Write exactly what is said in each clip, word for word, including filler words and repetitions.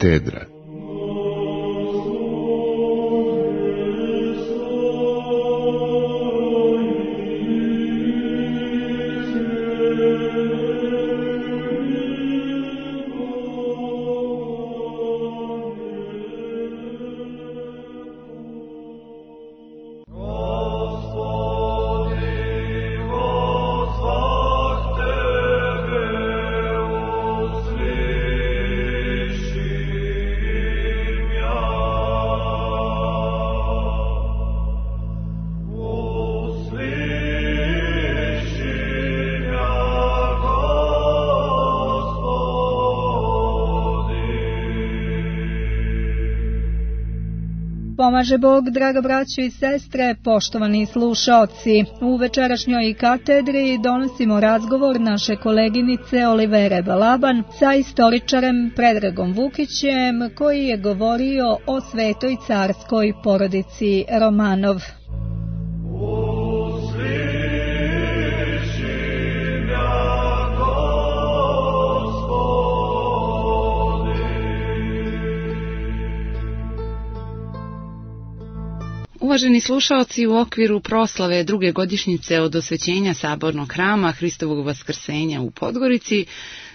katedra. Pomaže Bog, draga braćo i sestre, poštovani slušaoci. U večerašnjoj katedri donosimo razgovor naše koleginice Olivere Balaban sa istoričarem Predragom Vukićem, koji je govorio o svetoj carskoj porodici Romanov. Uvaženi slušaoci, u okviru proslave druge godišnjice od osvećenja Sabornog hrama Hristovog vaskrsenja u Podgorici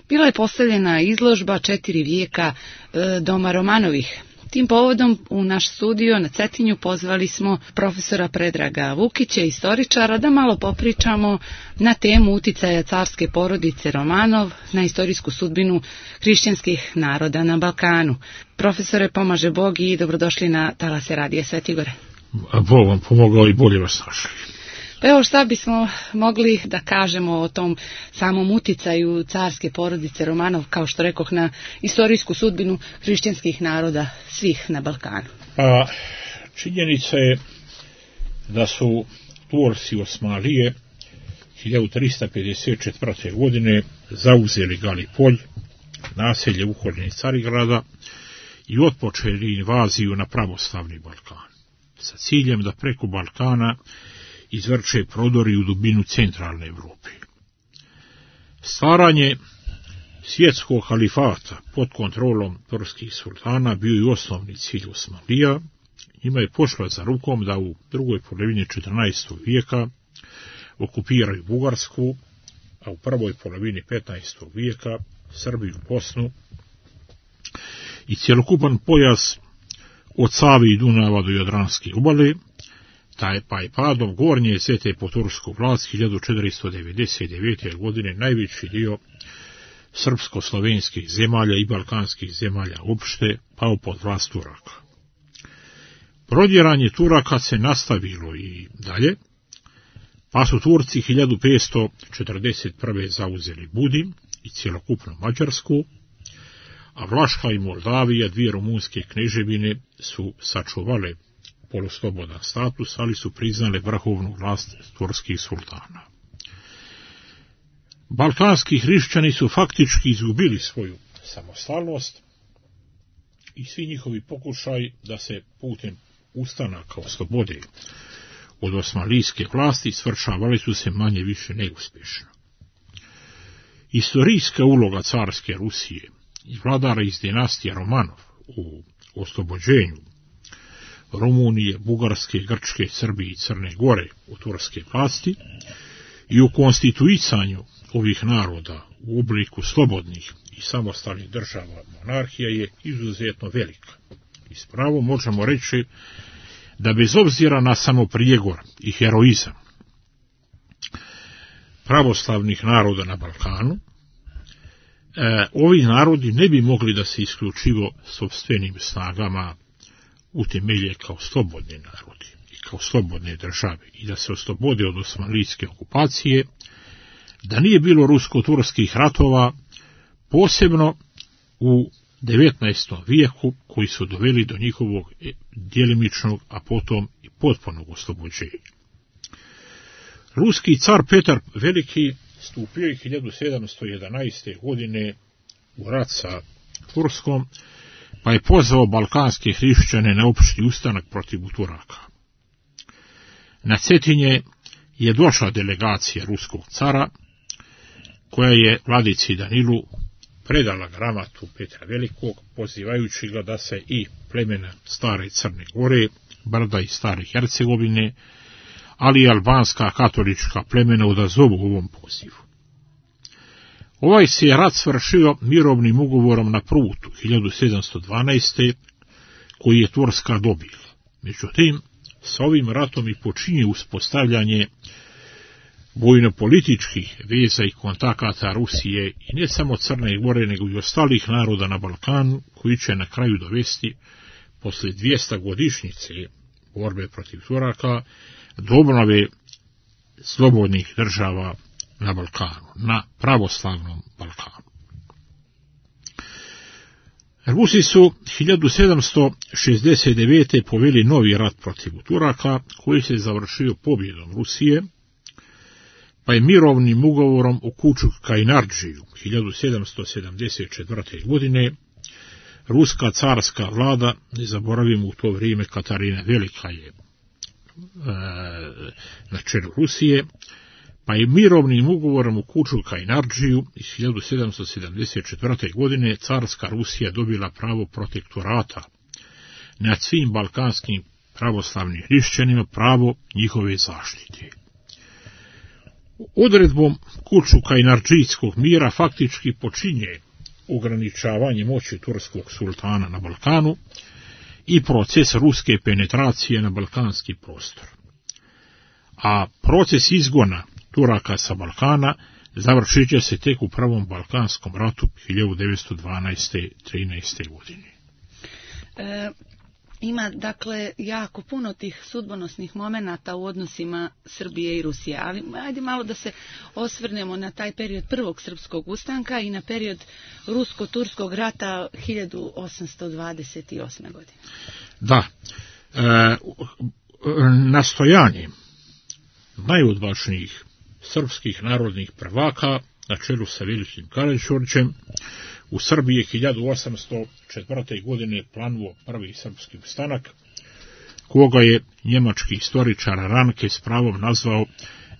bila je postavljena izložba četiri vijeka e, doma Romanovih. Tim povodom u naš studio na Cetinju pozvali smo profesora Predraga Vukića, istoričara, da malo popričamo na temu uticaja carske porodice Romanov na istorijsku sudbinu hrišćanskih naroda na Balkanu. Profesore, pomaže Bog i dobrodošli na talase Radija Svetigore. Bog vam pomogao i bolje vas našli. Pa evo, šta bismo mogli da kažemo o tom samom uticaju carske porodice Romanov, kao što rekoh, na istorijsku sudbinu hrišćanskih naroda svih na Balkanu? Pa, činjenica je da su Turci Osmanlije hiljadu trista pedeset četvrte. godine zauzeli Galipolj, naselje u okolini Carigrada, i otpočeli invaziju na pravoslavni Balkan, sa ciljem da preko Balkana izvrše prodori u dubinu centralne Evrope. Stvaranje svjetskog halifata pod kontrolom turskih sultana bio je osnovni cilj Osmanlija. Njima je pošla za rukom da u drugoj polovini četrnaestog. vijeka okupiraju Bugarsku, a u prvoj polovini petnaestog. vijeka Srbiju, Bosnu i cjelokupan pojas od Save i Dunava do Jadranske obale, taj pa je padom gornje zete po tursku vlast hiljadu četiristo devedeset devete. godine najveći dio srpsko-slovenskih zemalja i balkanskih zemalja uopšte pao pod vlast Turaka. Prodjeranje Turaka se nastavilo i dalje, pa su Turci hiljadu petsto četrdeset prve. zauzeli Budim i cjelokupnu Mađarsku, a Vlaška i Moldavija, dvije rumunske kneževine, su sačuvale poloslobodan status, ali su priznale vrhovnu vlast turskih sultana. Balkanski hrišćani su faktički izgubili svoju samostalnost i svi njihovi pokušaj da se putem ustanaka oslobode od osmanlijske vlasti svršavali su se manje više neuspješno. Istorijska uloga carske Rusije i vladara iz dinastije Romanov u oslobođenju Rumunije, Bugarske, Grčke, Srbije i Crne Gore u turske vlasti i u konstituisanju ovih naroda u obliku slobodnih i samostalnih država monarhija je izuzetno velika. I s pravom možemo reći da bez obzira na samoprijegor i heroizam pravoslavnih naroda na Balkanu, e, ovi narodi ne bi mogli da se isključivo sopstvenim snagama utemelje kao slobodni narodi i kao slobodne države i da se oslobode od osmanlijske okupacije, da nije bilo rusko-turskih ratova, posebno u devetnaestom. vijeku, koji su doveli do njihovog djelimičnog, a potom i potpunog oslobođenja. Ruski car Petar Veliki stupio je hiljadu sedamsto jedanaeste. godine u rat sa Turskom, pa je pozvao balkanske hrišćane na opšti ustanak protiv Turaka. Na Cetinje je došla delegacija ruskog cara, koja je vladici Danilu predala gramatu Petra Velikog, pozivajući ga da se i plemena Stare Crne Gore, Brda i Stare Hercegovine, ali i albanska katolička plemena odazovu ovom pozivu. Ovaj se rat svršio mirovnim ugovorom na Prutu hiljadu sedamsto dvanaeste. koji je Turska dobila. Međutim, sa ovim ratom i počinje uspostavljanje vojno-političkih veza i kontakata Rusije i ne samo Crne Gore, nego i ostalih naroda na Balkanu, koji će na kraju dovesti, posle dvjesto-godišnjice borbe protiv Turaka, do obnove slobodnih država na Balkanu, na pravoslavnom Balkanu. Rusi su hiljadu sedamsto šezdeset devete. poveli novi rat protiv Turaka, koji se završio pobjedom Rusije, pa je mirovnim ugovorom u Kučuk-Kainardžiju hiljadu sedamsto sedamdeset četvrte. godine ruska carska vlada, ne zaboravimo u to vrijeme Katarina Velika je e, na čelu Rusije, pa je mirovnim ugovorom u Kučuk-Kainardžiju iz hiljadu sedamsto sedamdeset četvrte. godine carska Rusija dobila pravo protektorata nad svim balkanskim pravoslavnim hrišćanima, pravo njihove zaštite. Odredbom Kučuk-Kainardžijskog mira faktički počinje ograničavanje moći turskog sultana na Balkanu i proces ruske penetracije na balkanski prostor. A proces izgona Turaka sa Balkana završit će se tek u prvom balkanskom ratu hiljadu devetsto dvanaeste do trinaeste. godine. E, ima, dakle, jako puno tih sudbonosnih momenata u odnosima Srbije i Rusije, ali ajde malo da se osvrnemo na taj period prvog srpskog ustanka i na period rusko-turskog rata hiljadu osamsto dvadeset osme. godine. Da, e, nastojanje najodvažnijih srpskih narodnih prvaka na čelu sa Velikim Karađorđem u Srbiji hiljadu osamsto četvrte. godine planuo prvi srpski ustanak, koga je njemački istoričar Ranke s pravom nazvao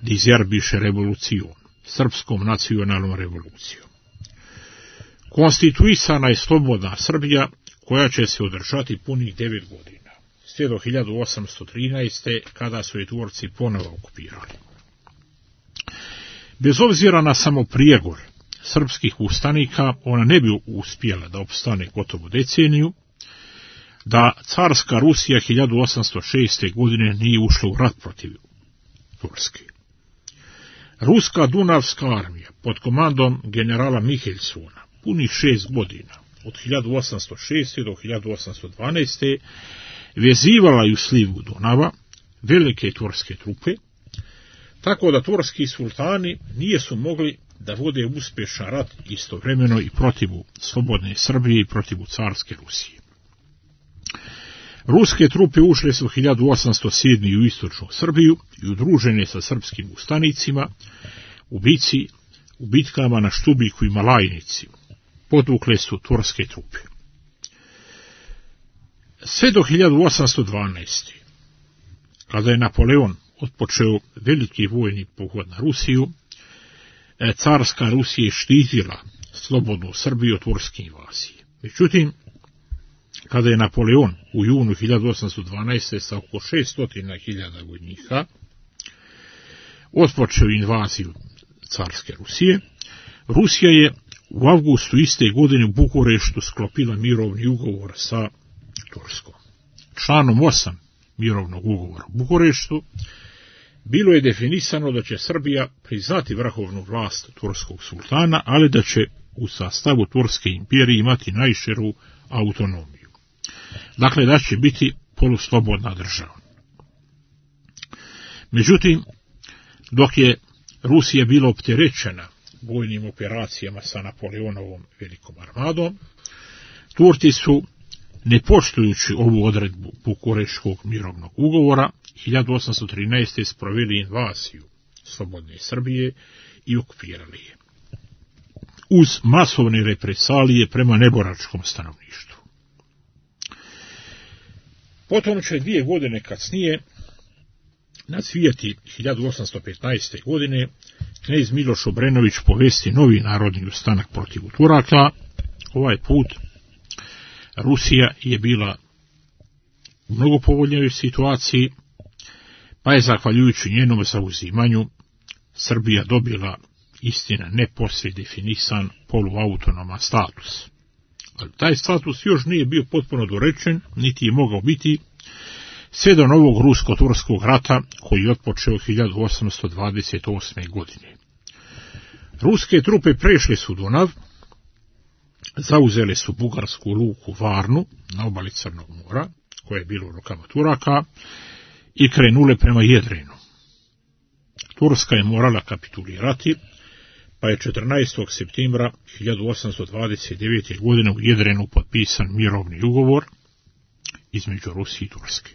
Dizerbiše revolucijom, srpskom nacionalnom revolucijom. Konstituisana je slobodna Srbija, koja će se održati punih devet godina, sve do hiljadu osamsto trinaeste. kada su je Turci ponovo okupirali. Bez obzira na samo prijegor srpskih ustanika, ona ne bi uspjela da opstane gotovo deceniju, da carska Rusija hiljadu osamsto šeste. godine nije ušla u rat protiv Turske. Ruska Dunavska armija pod komandom generala Mihelsona punih šest godina, od hiljadu osamsto šeste. do hiljadu osamsto dvanaeste. vezivala ju slivu Dunava velike turske trupe, tako da turski sultani nijesu mogli da vode uspješan rat istovremeno i protiv slobodne Srbije i protiv carske Rusije. Ruske trupe ušle su hiljadu osamsto sedme. u istočnu Srbiju i udružene sa srpskim ustanicima u bici, u bitkama na Štubiku i Malajnici. Podvukle su turske trupe. Sve do hiljadu osamsto dvanaeste. kada je Napoleon otpočeo veliki vojni pohod na Rusiju, carska Rusija je štitila slobodnu Srbiju od turske invazije. Međutim, kada je Napoleon u junu hiljadu osamsto dvanaeste. sa oko šesto hiljada vojnika otpočeo invaziju carske Rusije, Rusija je u avgustu iste godine u Bukureštu sklopila mirovni ugovor sa Turskom. Članom osam mirovnog ugovora u Bukureštu bilo je definisano da će Srbija priznati vrhovnu vlast turskog sultana, ali da će u sastavu Turske imperije imati najširu autonomiju. Dakle, da će biti poluslobodna država. Međutim, dok je Rusija bila opterećena vojnim operacijama sa Napoleonovom velikom armadom, Turci su, ne poštujući ovu odredbu Bukureškog mirovnog ugovora, hiljadu osamsto trinaeste. sproveli invaziju slobodne Srbije i okupirali je, uz masovne represalije prema neboračkom stanovništvu. Potom će dvije godine kasnije, na svijeti hiljadu osamsto petnaeste. godine, knez Miloš Obrenović povesti novi narodni ustanak protiv Turaka. Ovaj put Rusija je bila u mnogo povoljnijoj situaciji, pa je zahvaljujući njenom zauzimanju Srbija dobila, istina, neposve definisan poluautonoman status. Ali taj status još nije bio potpuno dorečen, niti je mogao biti sve do novog rusko-turskog rata koji je otpočeo hiljadu osamsto dvadeset osme. godine. Ruske trupe prešle su Dunav, zauzele su bugarsku luku Varnu na obali Crnog mora, koje je bilo u rukama Turaka, i krenule prema Jedrenu. Turska je morala kapitulirati, pa je četrnaestog septembra hiljadu osamsto dvadeset devete. godine u Jedrenu potpisan mirovni ugovor između Rusije i Turske.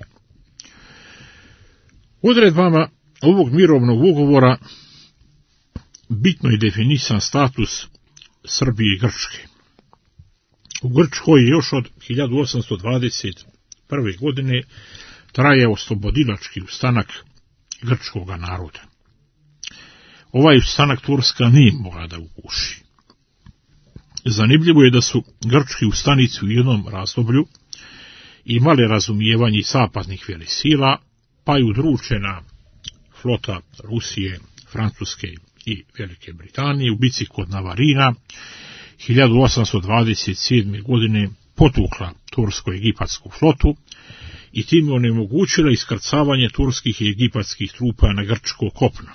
Odredbama ovog mirovnog ugovora bitno je definisan status Srbije i Grčke. U Grčkoj je još od hiljadu osamsto dvadeset prve. godine trajao oslobodilački ustanak grčkog naroda. Ovaj ustanak Turska nije mogla da uguši. Zanimljivo je da su grčki ustanici u jednom razdoblju imali razumijevanje zapadnih velesila, pa je udručena flota Rusije, Francuske i Velike Britanije u bici kod Navarina hiljadu osamsto dvadeset sedme. godine potukla tursko-egipatsku flotu i time onemogućila iskrcavanje turskih i egipatskih trupa na grčko kopno.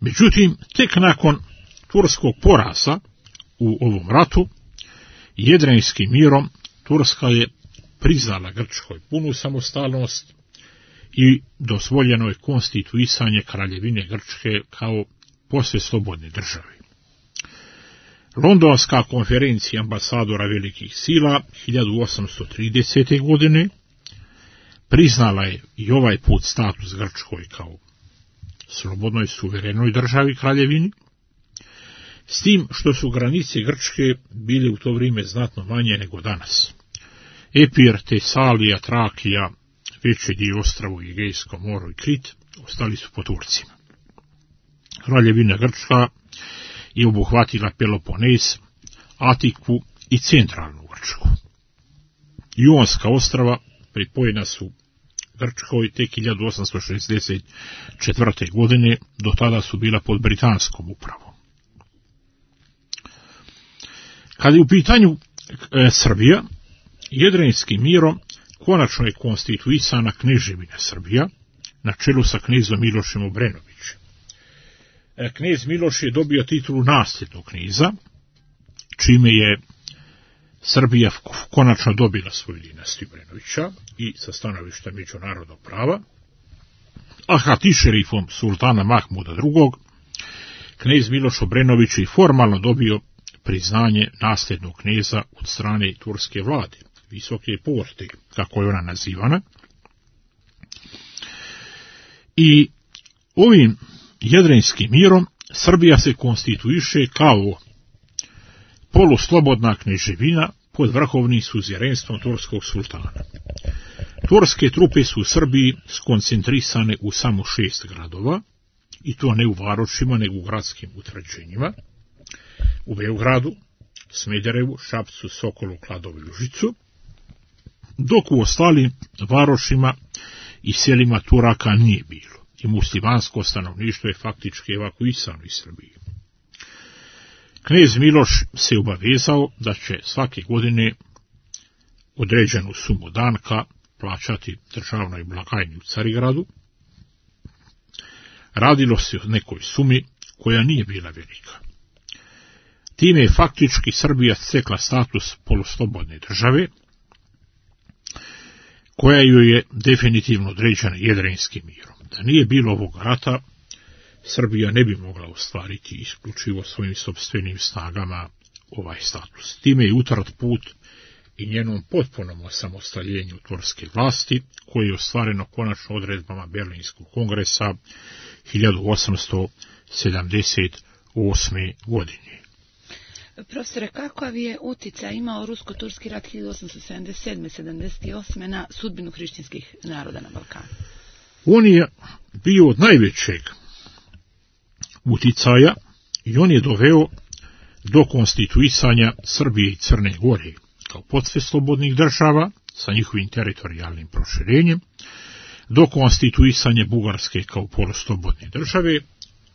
Međutim, tek nakon turskog poraza u ovom ratu, Jedrenskim mirom, Turska je priznala Grčkoj punu samostalnost i dozvoljeno je konstituisanje Kraljevine Grčke kao posve slobodne države. Londonska konferencija ambasadora velikih sila hiljadu osamsto tridesete. godine priznala je i ovaj put status Grčkoj kao slobodnoj suverenoj državi kraljevini, s tim što su granice Grčke bile u to vrijeme znatno manje nego danas. Epir, Tesalija, Trakija, veći dio ostrvo i Egejsko more i Krit ostali su po Turcima. Kraljevina Grčka je obuhvatila Peloponez, Atiku i centralnu Grčku. Ionska ostrva pripojena su Grčkoj tek hiljadu osamsto šezdeset četvrte. godine, do tada su bila pod britanskom upravom. Kad je u pitanju e, Srbija, Jedrenskim mirom konačno je konstituisana kneževina Srbija, na čelu sa knezom Milošem Obrenovićem. E, knez Miloš je dobio titulu nasljednog kneza, čime je Srbija konačno dobila svoju dinastiju Obrenovića i sa stanovišta međunarodnog prava, a hatišerifom sultana Mahmuda drugog. knez Miloš Obrenović je formalno dobio priznanje nasljednog kneza od strane turske vlade, visoke porte, kako je ona nazivana. I ovim Jedrenskim mirom Srbija se konstituiše kao poluslobodna kneževina pod vrhovnim suzjerenstvom turskog sultana. Turske trupe su u Srbiji skoncentrisane u samo šest gradova, i to ne u varošima, nego u gradskim utvrđenjima, u Beogradu, Smederevu, Šapcu, Sokolu, Kladovu i Užicu, dok u ostalim varošima i selima Turaka nije bilo, i muslimansko stanovništvo je faktički evakuisano iz Srbije. Knez Miloš se obavezao da će svake godine određenu sumu danka plaćati državnoj blagajni u Carigradu. Radilo se o nekoj sumi koja nije bila velika. Time je faktički Srbija stekla status poluslobodne države, koja joj je definitivno određena Jedrenskim mirom. Da nije bilo ovog rata, Srbija ne bi mogla ostvariti isključivo svojim sopstvenim snagama ovaj status. Time je utrat put i njenom potpunom osamostaljenju turske vlasti, koje je ostvareno konačno odredbama Berlinskog kongresa hiljadu osamsto sedamdeset osme. godine. Profesore, kakav je uticaj imao rusko-turski rat hiljadu osamsto sedamdeset sedme sedamdeset osme. na sudbinu hrišćanskih naroda na Balkanu? On je bio od najvećeg uticaja i on je doveo do konstituisanja Srbije i Crne Gore kao posve slobodnih država sa njihovim teritorijalnim proširenjem, do konstituisanja Bugarske kao poluslobodne države,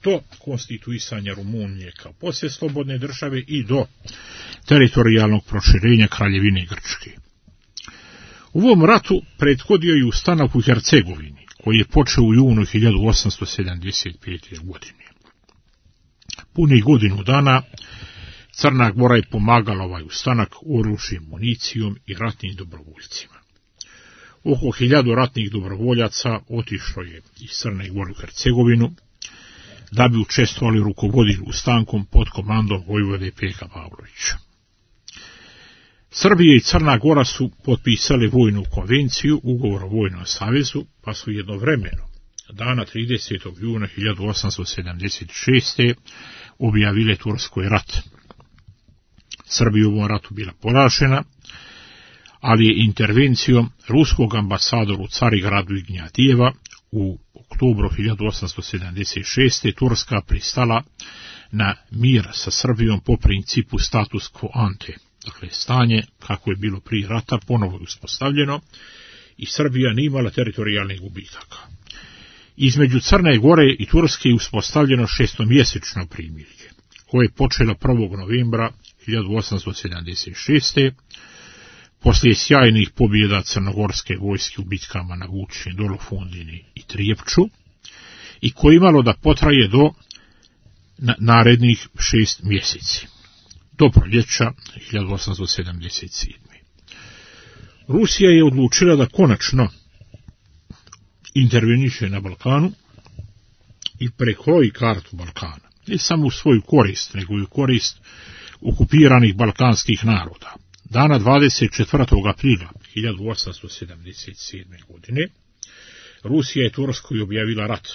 do konstituisanja Rumunije kao posve slobodne države i do teritorijalnog proširenja Kraljevine Grčke. U ovom ratu prethodio je ustanak u Hercegovini, koji je počeo u junu hiljadu osamsto sedamdeset pete. godine. Punih godinu dana Crna Gora je pomagala ovaj ustanak oružjem, municijom i ratnim dobrovoljcima. Oko hiljadu ratnih dobrovoljaca otišlo je iz Crne Gore u Hercegovinu da bi učestvovali rukovodili ustankom pod komandom vojvode Peka Pavlovića. Srbija i Crna Gora su potpisali vojnu konvenciju, ugovor o vojnom savezu, pa su jednovremeno dana tridesetog juna hiljadu osamsto sedamdeset šeste. objavile Turskoj rat. Srbija u ovom ratu bila poražena, ali je intervencijom ruskog ambasadora u Carigradu i Gnjatijeva u oktobru hiljadu osamsto sedamdeset šeste. Turska pristala na mir sa Srbijom po principu status quo ante. Dakle, stanje kako je bilo prije rata ponovo je uspostavljeno i Srbija nije imala teritorijalnih gubitaka. Između Crne Gore i Turske je uspostavljeno šestomjesečno primirje, koje je počelo prvog novembra hiljadu osamsto sedamdeset šeste. Poslije sjajnih pobjeda crnogorske vojske u bitkama na Vučini, Dolofundini i Trijepču, i koje imalo da potraje do narednih šest mjeseci, do proljeća hiljadu osamsto sedamdeset sedme. Rusija je odlučila da konačno interveniše na Balkanu i prekroji kartu Balkana, ne samo u svoju korist, nego i u korist okupiranih balkanskih naroda. Dana dvadeset četvrtog aprila hiljadu osamsto sedamdeset sedme. godine Rusija je Turskoj objavila rat.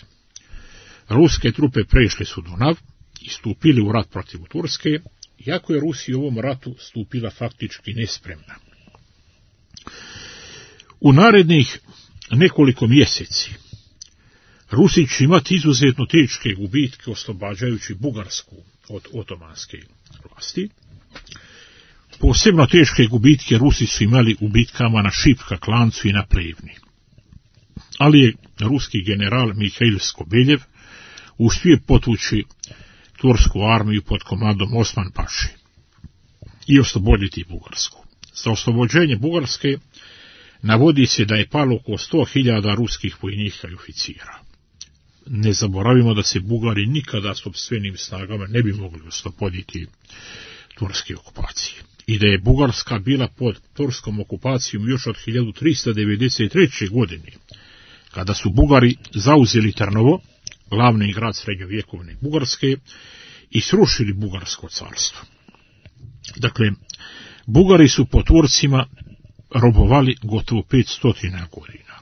Ruske trupe prešle su Dunav i stupili u rat protiv Turske, iako je Rusija u ovom ratu stupila faktički nespremna. U narednih nekoliko mjeseci Rusi će imati izuzetno teške gubitke oslobađajući Bugarsku od otomanske vlasti. Posebno teške gubitke Rusi su imali u bitkama na Šipka, Klancu i na Plevni. Ali je ruski general Mihail Skobeljev uspio potući tursku armiju pod komandom Osman Paši i osloboditi Bugarsku. Za oslobođenje Bugarske navodi se da je palo oko sto hiljada ruskih vojnika i oficira. Ne zaboravimo da se Bugari nikada sopstvenim snagama ne bi mogli osloboditi turske okupacije i da je Bugarska bila pod turskom okupacijom još od hiljadu trista devedeset treće. godine, kada su Bugari zauzeli Trnovo, glavni grad srednjovjekovne Bugarske, i srušili Bugarsko carstvo. Dakle, Bugari su po Turcima robovali gotovo petsto godina.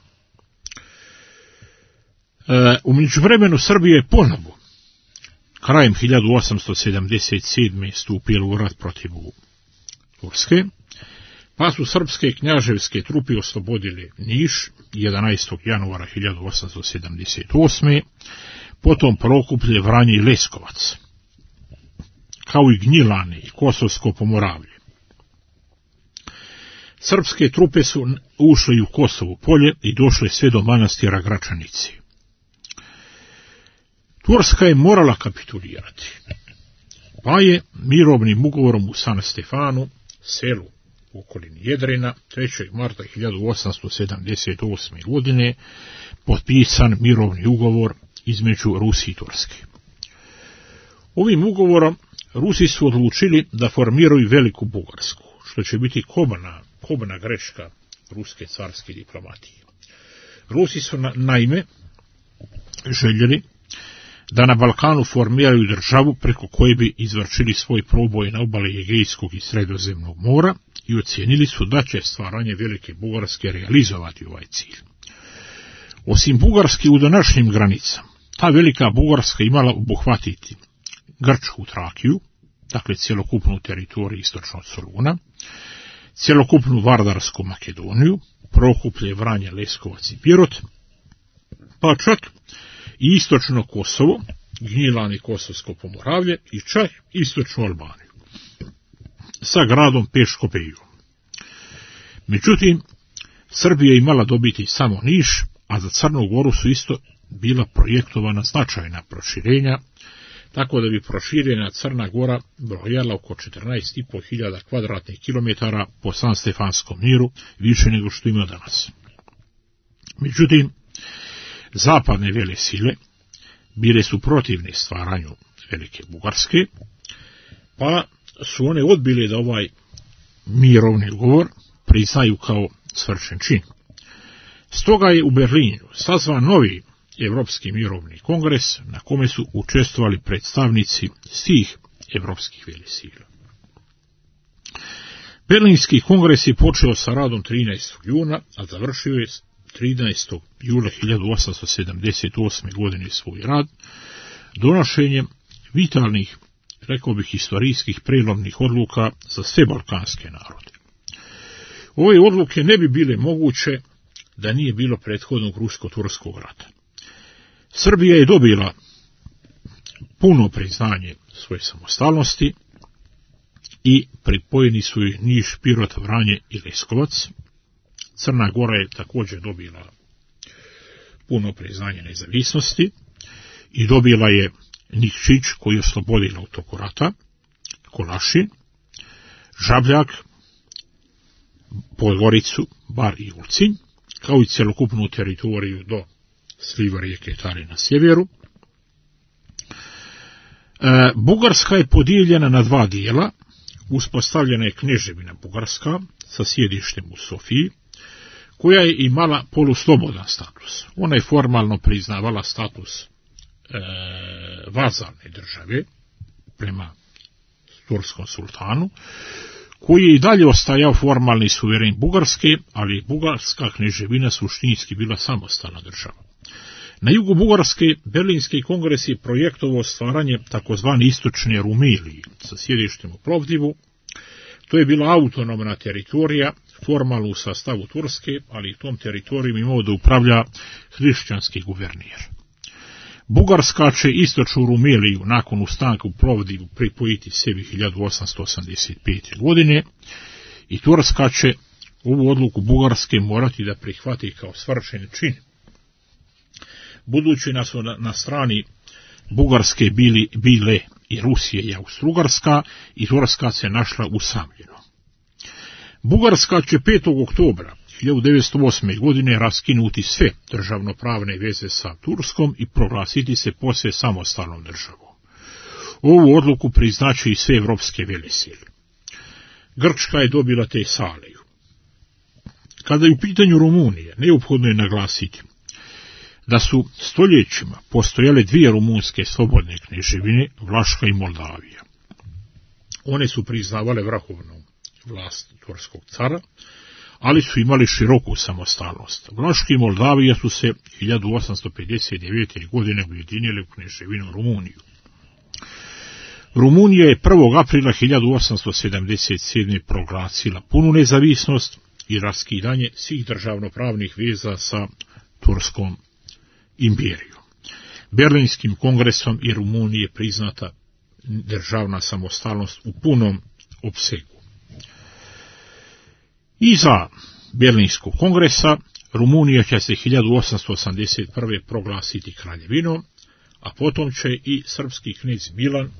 E, u međuvremenu Srbija je ponovo krajem hiljadu osamsto sedamdeset sedme. stupila u rat protiv Turske, pa su srpske knjaževske trupe oslobodile Niš jedanaestog januara hiljadu osamsto sedamdeset osme. Potom Prokuplje, Vranje i Leskovac, kao i Gnjilane i Kosovsko Pomoravlje. Srpske trupe su ušle u Kosovo polje i došle sve do manastira Gračanice. Turska je morala kapitulirati, pa je mirovnim ugovorom u San Stefanu, selu u okolini Jedrena, trećeg marta hiljadu osamsto sedamdeset osme. godine potpisan mirovni ugovor između Rusije i Turske. Ovim ugovorom Rusi su odlučili da formiraju Veliku Bugarsku, što će biti kobna, kobna greška ruske carske diplomatije. Rusi su na, naime željeli da na Balkanu formiraju državu preko koje bi izvršili svoj proboj na obali Egejskog i Sredozemnog mora i ocijenili su da će stvaranje Velike Bugarske realizovati ovaj cilj. Osim Bugarske u današnjim granicama, ta Velika Bugarska imala obuhvatiti Grčku Trakiju, dakle cjelokupnu teritoriju istočno od Soluna, cjelokupnu Vardarsku Makedoniju, Prokuplje, Vranje, Leskovac i Pirot, pa čak i istočno Kosovo, Gnjilani, Kosovsko Pomoravlje i čak istočnu Albaniju sa gradom Peškopejom. Međutim, Srbija je imala dobiti samo Niš, a za Crnu Goru su isto bila projektovana značajna proširenja, tako da bi proširena Crna Gora brojala oko četrnaest i po hiljada kvadratnih kilometara po San Stefanskom miru, više nego što ima danas. Međutim, zapadne vele sile bile su protivne stvaranju Velike Bugarske, pa su one odbile da ovaj mirovni ugovor priznaju kao svršen čin. Stoga je u Berlinu sazvan novi Evropski mirovni kongres na kome su učestvovali predstavnici svih evropskih velesila. Berlinski kongres je počeo sa radom trinaestog juna, a završio je trinaestog jula hiljadu osamsto sedamdeset osme. godine svoj rad donošenjem vitalnih, rekao bih, historijskih prelomnih odluka za sve balkanske narode. Ove odluke ne bi bile moguće da nije bilo prethodnog rusko-turskog rata. Srbija je dobila puno priznanje svoje samostalnosti i pripojeni su joj Niš, Pirot, Vranje i Leskovac. Crna Gora je također dobila puno priznanje nezavisnosti i dobila je Nikšić, koji je oslobodila u toku rata, Kolašin, Žabljak, Podgoricu, Bar i Ulcinj, kao i celokupnu teritoriju do sliva rijeke Tare na sjeveru. E, Bugarska je podijeljena na dva dijela. Uspostavljena je Kneževina Bugarska sa sjedištem u Sofiji, koja je imala poluslobodan status. Ona je formalno priznavala status e, vazalne države prema turskom sultanu, koji je i dalje ostajao formalni suveren Bugarske, ali Bugarska kneževina suštinski bila samostalna država. Na jugu Bugarske Berlinski kongres je projektovao stvaranje takozvane istočne Rumelije sa sjedištem u Plovdivu. To je bila autonomna teritorija, formalno u sastavu Turske, ali tom teritorijom imao da upravlja hrišćanski guvernijer. Bugarska će istočnu Rumeliju nakon ustanka u Plovdivu pripojiti sebi hiljadu osamsto osamdeset pete. godine i Turska će ovu odluku Bugarske morati da prihvati kao svršen čin. Budući da su na, na strani Bugarske bili, bile i Rusije i Austrougarska, i Turska se našla usamljeno. Bugarska će petog oktobra hiljadu devetsto osme. godine raskinuti sve državnopravne veze sa Turskom i proglasiti se posve samostalnom državom. Ovu odluku priznaće i sve evropske velesile. Grčka je dobila Tesaliju. Kada je u pitanju Rumunije, neophodno je naglasiti da su stoljećima postojale dvije rumunske slobodne kneževine, Vlaška i Moldavija. One su priznavale vrhovnu vlast turskog cara, ali su imali široku samostalnost. Vlaška i Moldavija su se hiljadu osamsto pedeset devete. godine ujedinile u kneževinu Rumuniju. Rumunija je prvog aprila hiljadu osamsto sedamdeset sedme. proglasila punu nezavisnost i raskidanje svih državnopravnih veza sa Turskom imperijom. Berlinskim kongresom i Rumuniji je priznata državna samostalnost u punom opsegu. Iza Berlinskog kongresa Rumunija će se hiljadu osamsto osamdeset prve. proglasiti kraljevinom, a potom će i srpski knez Milan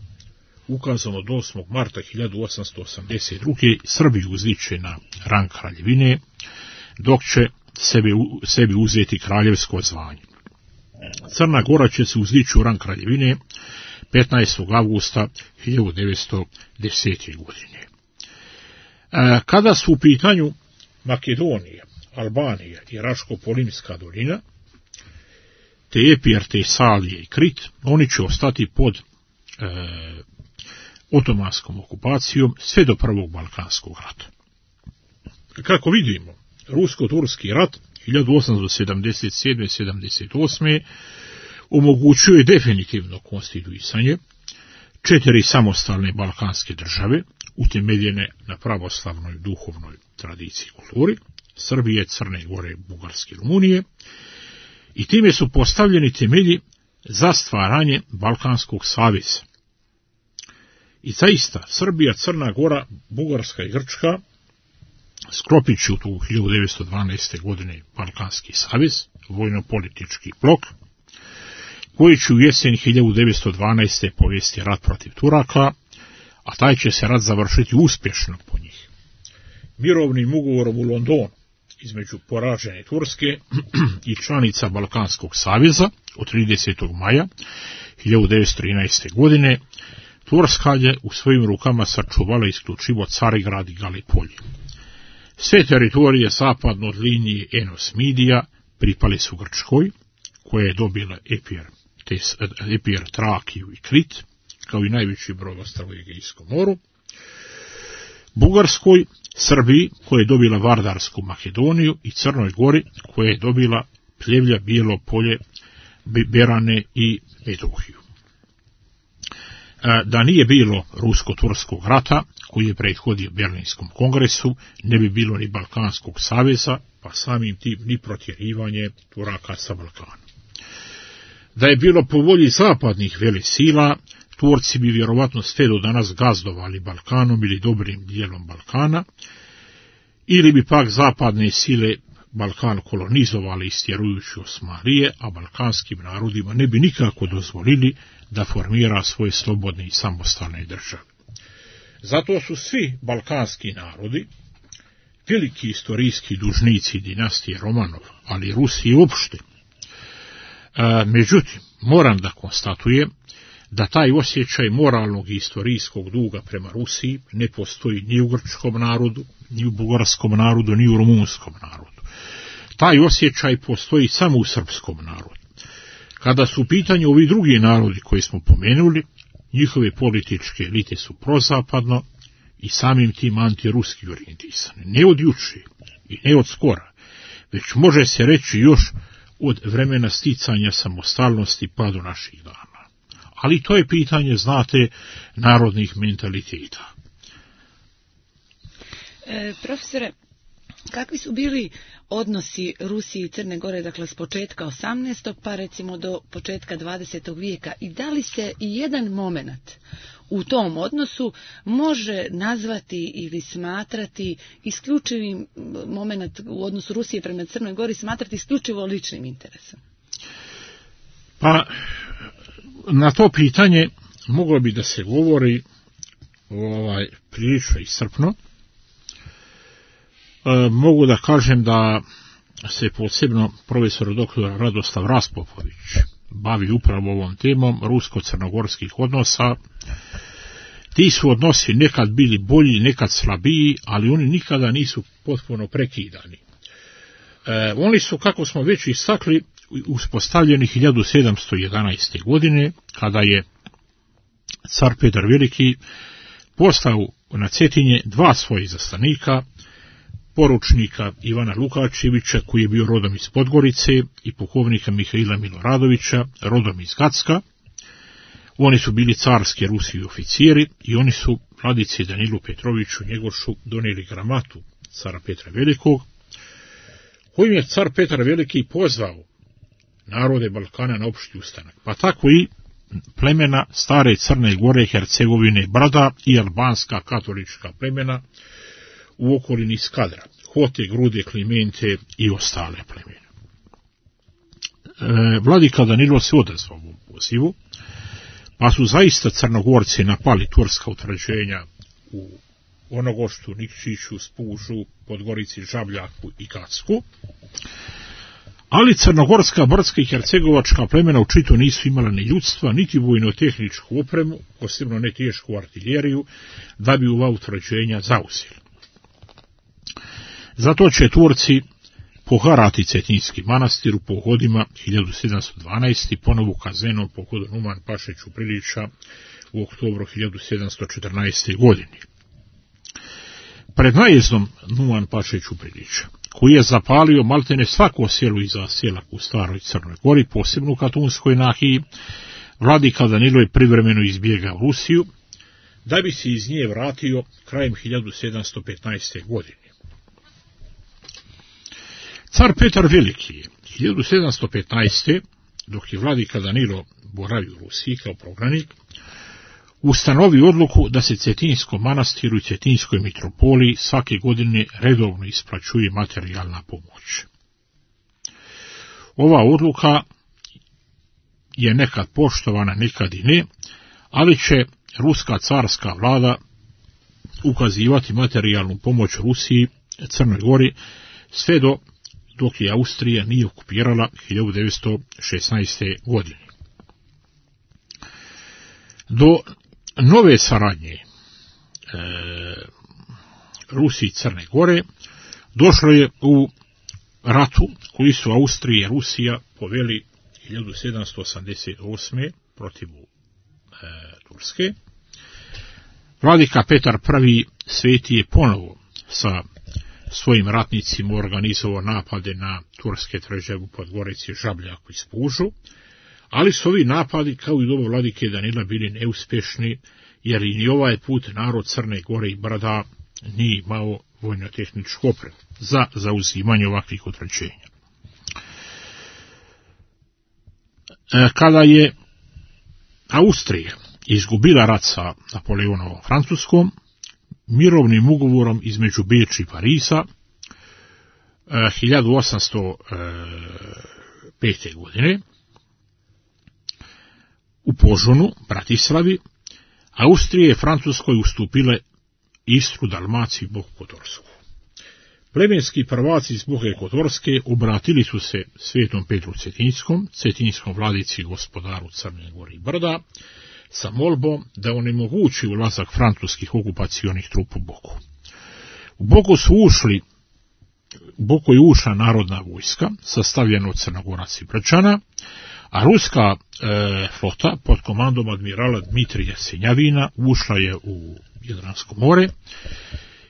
ukazom od osmog marta hiljadu osamsto osamdeset druge. Srbiju uzdići na rang kraljevine, dok će sebi, sebi uzeti kraljevsko zvanje. Crna Gora će se uzdići u rang kraljevine petnaestog avgusta hiljadu devetsto desete. godine. Kada su u pitanju Makedonija, Albanija i Raško-Polimska dolina, te Epir, Tesalije i Krit, oni će ostati pod e, otomanskom okupacijom sve do prvog Balkanskog rata. Kako vidimo, rusko-turski rat hiljadu osamsto sedamdeset sedme. sedamdeset osme. omogućuje definitivno konstituisanje četiri samostalne balkanske države, utemeljene na pravoslavnoj duhovnoj tradiciji i kulturi, Srbije, Crne Gore, Bugarske i Rumunije, i time su postavljeni temelji za stvaranje Balkanskog saveza. I zaista, Srbija, Crna Gora, Bugarska i Grčka sklopit će u hiljadu devetsto dvanaeste. godine Balkanski savez, vojno-politički blok, koji će u jesen hiljadu devetsto dvanaeste. povesti rat protiv Turaka, a taj će se rat završiti uspješno po njih. Mirovnim ugovorom u Londonu između poražene Turske i članica Balkanskog saveza od tridesetog maja hiljadu devetsto trinaeste. godine Turska je u svojim rukama sačuvala isključivo Carigrad i Galipolje. Sve teritorije zapadno od linije Enos-Midija pripale su Grčkoj, koja je dobila Epir, Epir, Trakiju i Krit, kao i najveći brod ostrva u Egejskom moru, Bugarskoj, Srbiji, koja je dobila Vardarsku Makedoniju, i Crnoj Gori, koja je dobila Pljevlja, Bijelo polje, Berane i Metohiju. Da nije bilo rusko-turskog rata, koji je prethodio Berlinskom kongresu, ne bi bilo ni Balkanskog saveza, pa samim tim ni protjerivanje Turaka sa Balkana. Da je bilo po volji zapadnih velesila, Turci bi vjerovatno sve do danas gazdovali Balkanom ili dobrim dijelom Balkana, ili bi pak zapadne sile Balkan kolonizovali istjerujući Osmanlije, a balkanskim narodima ne bi nikako dozvolili da formira svoje slobodne i samostalne države. Zato su svi balkanski narodi veliki istorijski dužnici dinastije Romanov, ali Rusiji uopšte. E, međutim, moram da konstatujem da taj osjećaj moralnog i istorijskog duga prema Rusiji ne postoji ni u grčkom narodu, ni u bugarskom narodu, ni u rumunskom narodu. Taj osjećaj postoji samo u srpskom narodu. Kada su u pitanju ovi drugi narodi koji smo pomenuli, njihove političke elite su prozapadno i samim tim antiruski orijentisane. Ne od juče i ne od skora, već može se reći još od vremena sticanja samostalnosti pa do naših dana. Ali to je pitanje, znate, narodnih mentaliteta. E, profesore, kakvi su bili odnosi Rusije i Crne Gore, dakle s početka osamnaestog pa recimo do početka dvadesetog vijeka, i da li se i jedan moment u tom odnosu može nazvati ili smatrati isključivim moment u odnosu Rusije prema Crnoj Gori, smatrati isključivo ličnim interesom? Pa, na to pitanje moglo bi da se govori ovaj, prilično iscrpno. E, mogu da kažem da se posebno profesor doktor Radoslav Raspopović bavi upravo ovom temom rusko-crnogorskih odnosa. Ti su odnosi nekad bili bolji, nekad slabiji, ali oni nikada nisu potpuno prekidani. E, oni su, kako smo već istakli, uspostavljeni hiljadu sedamsto jedanaeste. godine, kada je car Petar Veliki poslao na Cetinje dva svoje izaslanika, poručnika Ivana Lukačevića, koji je bio rodom iz Podgorice, i pukovnika Mihaila Miloradovića, rodom iz Gacka. Oni su bili carski ruski oficiri i oni su vladici Danilu Petroviću Njegošu donijeli gramatu cara Petra Velikog, kojim je car Petar Veliki pozvao narode Balkana na opšti ustanak, pa tako i plemena stare Crne Gore, Hercegovine, Brada i albanska katolička plemena u okolini Skadra, Hote, Grude, Klimente i ostale plemena. E, vladika Danilo se odazvao ovom pozivu, pa su zaista Crnogorci napali turska utvrđenja u Onogoštu, Nikšiću, Spužu, Podgorici, Žabljaku i Gacku, ali crnogorska, brdska i hercegovačka plemena očito nisu imala ni ljudstva, niti vojno-tehničku opremu, posebno ne tešku artiljeriju, da bi ova utvrđenja zauzeli. Zato će Turci poharati Cetinjski manastir u pohodima hiljadu sedamsto dvanaeste. ponovu kaznenom pohodu Numan Pašiću Prilića u oktobru hiljadu sedamsto četrnaeste. godine. Pred najezdom Numan Pašiću Prilića, koji je zapalio maltene svako selo i zaselak u staroj Crnoj Gori, posebno u Katunskoj nahiji, vladika Danilo je privremeno izbjegao Rusiju, da bi se iz nje vratio krajem hiljadu sedamsto petnaeste. godine. Car Petar Veliki je hiljadu sedamsto petnaeste. dok je vladika Danilo boravio u Rusiji kao prognanik, ustanovi odluku da se Cetinskom manastiru i Cetinskoj mitropoliji svake godine redovno isplaćuje materijalna pomoć. Ova odluka je nekad poštovana, nekad i ne, ali će ruska carska vlada ukazivati materijalnu pomoć Rusiji, Crnoj Gori, sve do dok je Austrija nije okupirala hiljadu devetsto šesnaeste. godine. Do nove saradnje e, Rusije i Crne Gore došlo je u ratu koji su Austrija i Rusija poveli hiljadu sedamsto osamdeset osme. protiv e, Turske. Vladika Petar I. Sveti je ponovo sa svojim ratnicima organizovao napade na turske tvrđave u Podgorici, Žabljaku i Spužu, ali su ovi napadi, kao i doba vladike Danila, bili neuspešni, jer i ni ovaj put narod Crne Gore i Brda nije imao vojno-tehničku opremu za zauzimanje ovakvih utvrđenja. Kada je Austrija izgubila rat sa Napoleonovom Francuskom, mirovnim ugovorom između Beča i Pariza hiljadu osamsto pete. godine u Požunu, Bratislavi, Austrija je Francuskoj ustupile Istru, Dalmaciju i Boku Kotorsku. Plemenski prvaci iz Boke Kotorske obratili su se svetom Petru Cetinskom, Cetinskom vladici i gospodaru Crne Gore i Brda, sa molbom da onemogući ulazak francuskih okupacionih trupa u Boku. U Boku su ušli, u Boku je ušla narodna vojska, sastavljena od Crnogoraca i Brčana, a ruska e, flota pod komandom admirala Dmitrija Senjavina ušla je u Jadransko more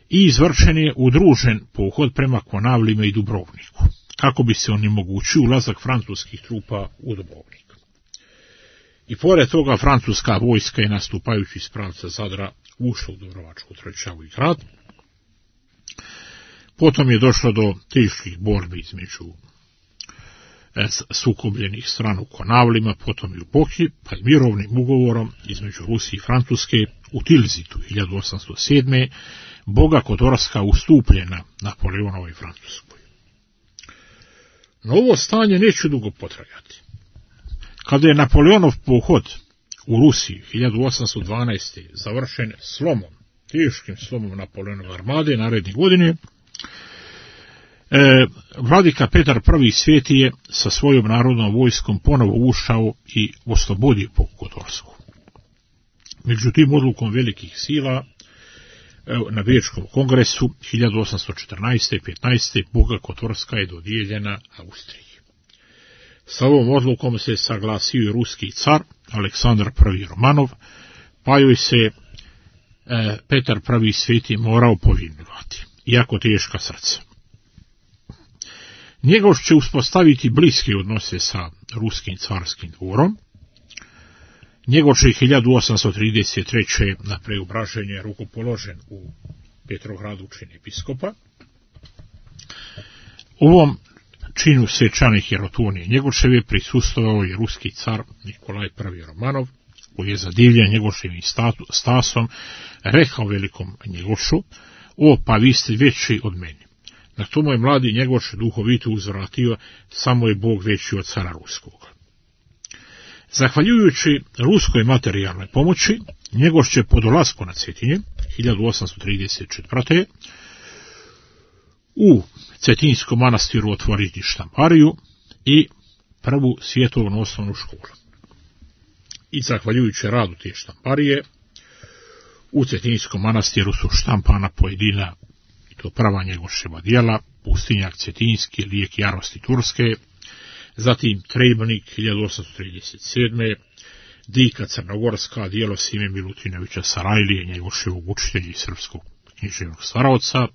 i izvršen je udružen pohod prema Konavlima i Dubrovniku, kako bi se onemogućio ulazak francuskih trupa u Dubrovnik. I pored toga francuska vojska je, nastupajući iz pravca Zadra, ušla u Dubrovačku tvrđavu i grad. Potom je došlo do teških borbi između sukobljenih strana u Konavlima, potom i u Boki, pa i mirovnim ugovorom između Rusije i Francuske u Tilzitu hiljadu osamsto sedme. Boga Kotorska ustupljena Napoleonovoj Francuskoj. No ovo stanje neće dugo potrajati. Kada je Napoleonov pohod u Rusiji hiljadu osamsto dvanaeste. završen slomom, teškim slomom Napoleonove armade naredne godine, e, vladika Petar I. Sveti je sa svojom narodnom vojskom ponovo ušao i oslobodio Boku Kotorsku. Međutim, odlukom velikih sila na Bečkom kongresu hiljadu osamsto četrnaeste. petnaeste. Boga Kotorska je dodijeljena Austriji. Sa ovom odlukom se saglasio i ruski car Aleksandar I. Romanov, pa joj se e, Petar I. Sveti morao povinovati, iako teška srca. Njegov će uspostaviti bliske odnose sa ruskim carskim dvorom. Njegov će hiljadu osamsto trideset treće. na preobraženje rukopoložen u Petrogradu čin episkopa. Ovom činu svečane Hirotonije Njegoševe prisustvovao je ruski car Nikolaj I. Romanov, koji je zadivljen Njegoševim stasom rekao velikom Njegošu: "O, pa vi ste veći od meni." Na tomu je mladi Njegoš duhovito uzvratio: "Samo je Bog veći od cara ruskog." Zahvaljujući ruskoj materijalnoj pomoći, Njegoš će po dolasku na Cetinje hiljadu osamsto trideset četvrte. u Cetinskom manastiru otvoriti štampariju i prvu svjetovnu osnovnu školu. I zahvaljujući radu te štamparije, u Cetinskom manastiru su štampana pojedina, i to prva Njegoševa djela: Pustinjak Cetinski, Lijek jarosti Turske, zatim Trebnik hiljadu osamsto trideset sedme. Dika Crnogorska, djelo Sime Milutinovića Sarajlije, Njegoševog učitelja i srpskog književnog stvaralaca,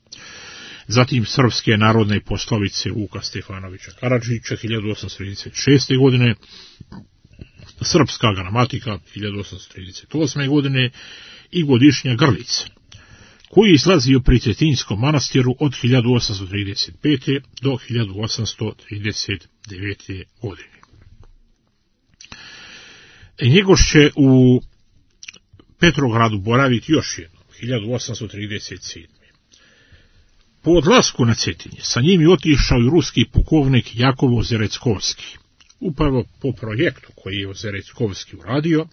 zatim Srpske narodne poslovice Vuka Stefanovića Karadžića hiljadu osamsto trideset šeste. godine, Srpska gramatika hiljadu osamsto trideset osme. godine i Godišnja Grlica, koji je izlazio pri Cetinskom manastiru od hiljadu osamsto trideset pete. do hiljadu osamsto trideset devete. godine. Njegoš će u Petrogradu boraviti još jednom, hiljadu osamsto trideset sedme. Po odlasku na Cetinje sa njim je otišao i ruski pukovnik Jakov Ozereckovski, upravo po projektu koji je Ozereckovski uradio.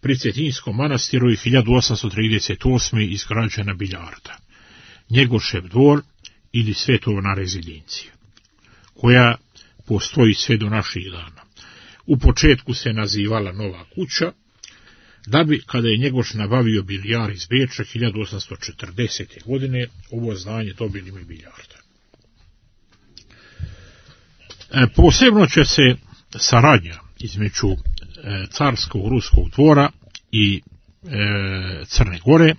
Pri Cetinjskom manastiru je hiljadu osamsto trideset osme izgrađena biljarda, Njegošev dvor ili svetovna rezidencija, koja postoji sve do naših dana. U početku se nazivala Nova kuća, da bi, kada je Njegoš nabavio biljar iz Beča hiljadu osamsto četrdesete. godine, ovo zdanje dobili ime biljarda. E, posebno će se saradnja između e, carskog ruskog dvora i e, Crne Gore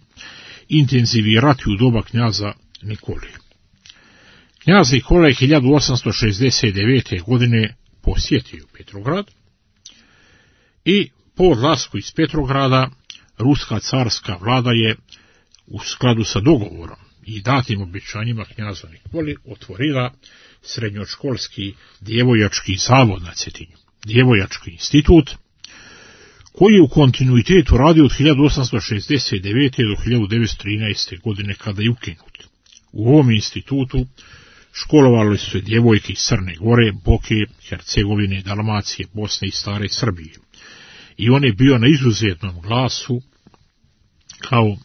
intenzivirati u doba knjaza Nikole. Knjaz Nikola je hiljadu osamsto šezdeset devete. godine posjetio Petrograd i po odlasku iz Petrograda ruska carska vlada je u skladu sa dogovorom i datim obećanjima knjaza Nikoli otvorila srednjoškolski djevojački zavod na Cetinju, djevojački institut, koji je u kontinuitetu radio od hiljadu osamsto šezdeset devete. do hiljadu devetsto trinaeste. godine kada je ukinut. U ovom institutu školovali su se djevojke iz Crne Gore, Boke, Hercegovine, Dalmacije, Bosne i stare Srbije. I on je bio na izuzetnom glasu kao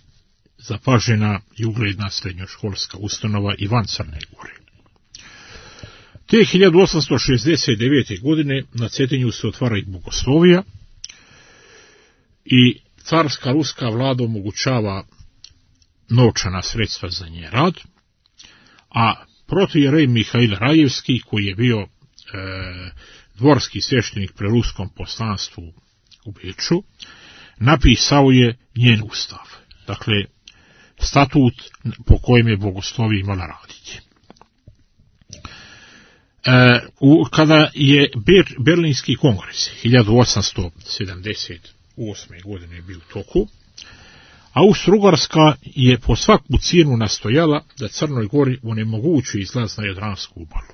zapažena i ugledna srednjoškolska ustanova i van Crne Gore. Te hiljadu osamsto šezdeset devete. godine na Cetinju se otvara i bogoslovija i carska ruska vlada omogućava novčana sredstva za njen rad, a protoijerej Mihail Rajevski, koji je bio e, dvorski sveštenik pri ruskom poslanstvu u Beču, napisao je njen ustav, dakle statut po kojem je bogoslovija imala raditi. E, u, kada je Ber, Berlinski kongres hiljadu osamsto sedamdeset osme. godine bio u toku, Austro-Ugarska je po svaku cijenu nastojala da Crnoj Gori onemogući izlaz na Jadransku obalu.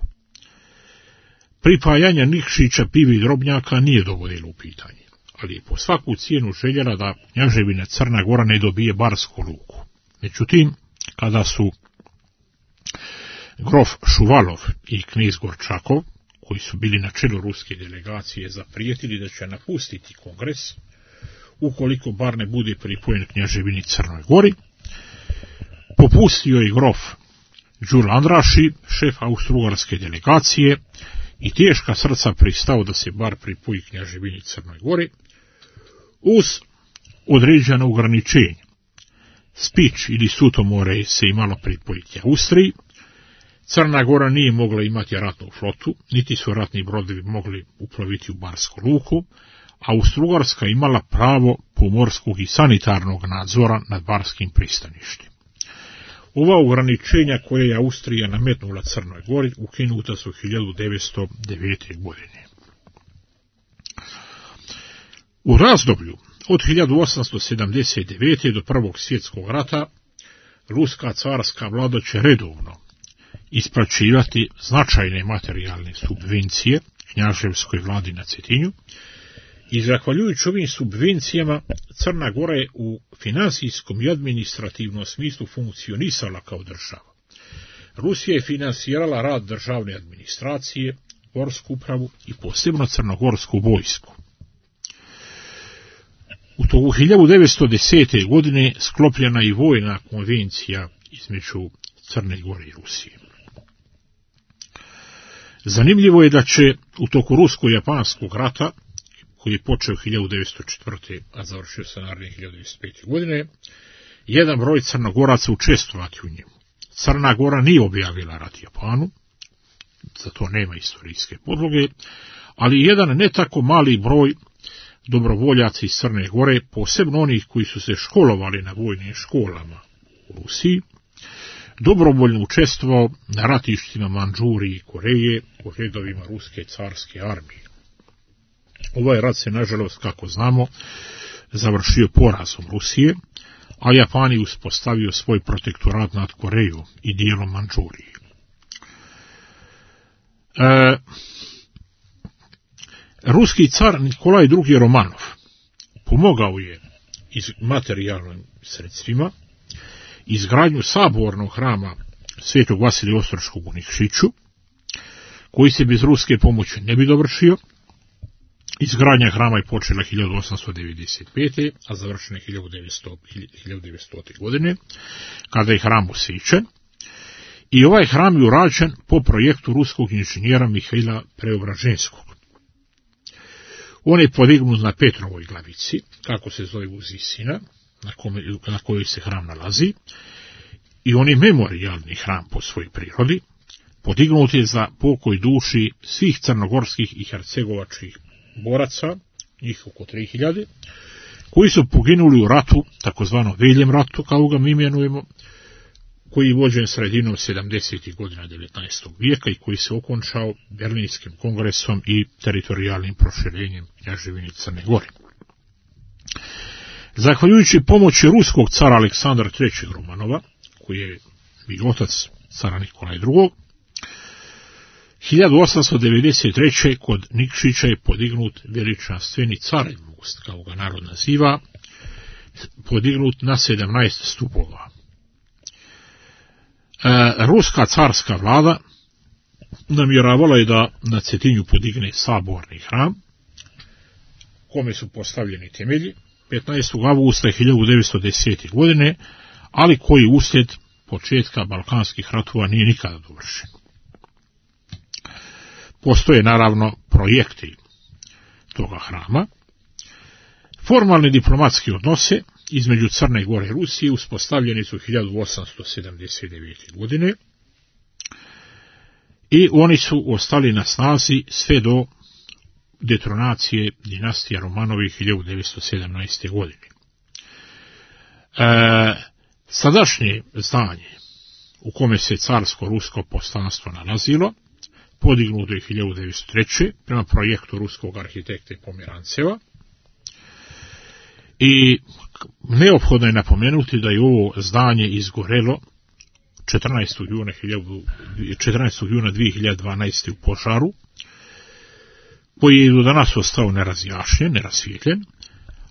Pripajanje Nikšića, Pivi i Drobnjaka nije dovodilo u pitanje, ali je po svaku cijenu željela da kneževina Crna Gora ne dobije Barsku luku. Međutim, kada su grof Šuvalov i knez Gorčakov, koji su bili na čelu ruske delegacije, zaprijetili da će napustiti kongres ukoliko bar ne bude pripojen kneževini Crnoj Gori, popustio je grof Đuro Andraši, šef austro-ugarske delegacije, i teška srca pristao da se bar pripoji kneževini Crnoj Gori, uz određeno ograničenje. Spič ili Sutomore se imalo pripojiti Austriji, Crna Gora nije mogla imati ratnu flotu, niti su ratni brodovi mogli uploviti u Barsku luku, a Austro-Ugarska imala pravo pomorskog i sanitarnog nadzora nad barskim pristaništima. Ova ograničenja koje je Austrija nametnula Crnoj Gori ukinuta su hiljadu devetsto devete. godine. U razdoblju od hiljadu osamsto sedamdeset devete. do Prvog svjetskog rata ruska carska vlada će redovno isplaćivati značajne materijalne subvencije knjaževskoj vladi na Cetinju, i zahvaljujući ovim subvencijama Crna Gora je u finansijskom i administrativnom smislu funkcionisala kao država. Rusija je finansirala rad državne administracije, gorsku upravu i posebno crnogorsku vojsku. U toku hiljadu devetsto desete. godine sklopljena i vojna konvencija između Crne Gore i Rusije. Zanimljivo je da će u toku rusko-japanskog rata, koji je počeo hiljadu devetsto četvrte. a završio se naredne hiljadu devetsto pete. godine, jedan broj Crnogoraca učestvovati u njemu. Crna Gora nije objavila rat Japanu, za to nema istorijske podloge, ali jedan ne tako mali broj dobrovoljaca iz Crne Gore, posebno onih koji su se školovali na vojnim školama u Rusiji, dobrovoljno učestvovao na ratištima Mandžurije i Koreje u redovima ruske carske armije. Ovaj rat se, nažalost, kako znamo, završio porazom Rusije, a Japan je uspostavio svoj protektorat nad Korejom i dijelom Mandžurije. E, ruski car Nikolaj drugi. Romanov pomogao je iz materijalnim sredstvima izgradnju sabornog hrama Svetog Vasilija Ostroškog u Nikšiću, koji se bez ruske pomoći ne bi dovršio. Izgradnja hrama je počela hiljadu osamsto devedeset pete. a završena je hiljadu devetstote. godine, kada je hram osvećen. I ovaj hram je urađen po projektu ruskog inženjera Mihaila Preobraženskog. On je podignut na Petrovoj glavici, kako se zove Uzisina, na, kome, na kojoj se hram nalazi, i on je memorijalni hram po svojoj prirodi, podignut je za pokoj duši svih crnogorskih i hercegovačkih boraca, njih oko tri hiljade, koji su poginuli u ratu, takozvano Veljem ratu, kao ga mi imenujemo, koji je vođen sredinom sedamdesetih godina devetnaestog vijeka i koji se okončao Berlinskim kongresom i teritorijalnim proširenjem kneževine Crne Gore. Zahvaljujući pomoći ruskog cara Aleksandra trećeg Romanova, koji je bio otac cara Nikolaja drugog, hiljadu osamsto devedeset treće. kod Nikšića je podignut veličanstveni Carev most, kao ga narod naziva, podignut na sedamnaest stupova. E, ruska carska vlada namjeravala je da na Cetinju podigne saborni hram, kome su postavljeni temelji, petnaestog avgusta hiljadu devetsto desete. godine, ali koji uslijed početka balkanskih ratova nije nikada dovršen. Postoje naravno projekti toga hrama. Formalni diplomatski odnose između Crne Gore i Rusije uspostavljeni su hiljadu osamsto sedamdeset devete. godine i oni su ostali na snazi sve do detronacije dinastija Romanovih hiljadu devetsto sedamnaeste. godine. E, sadašnje zdanje u kome se carsko-rusko poslanstvo nalazilo podignuto je hiljadu devetsto treće. prema projektu ruskog arhitekta Pomeranceva. I neophodno je napomenuti da je ovo zdanje izgorelo četrnaestog juna dve hiljade dvanaeste. u požaru, koji je do danas ostao nerazjašnjen, nerasvijetljen,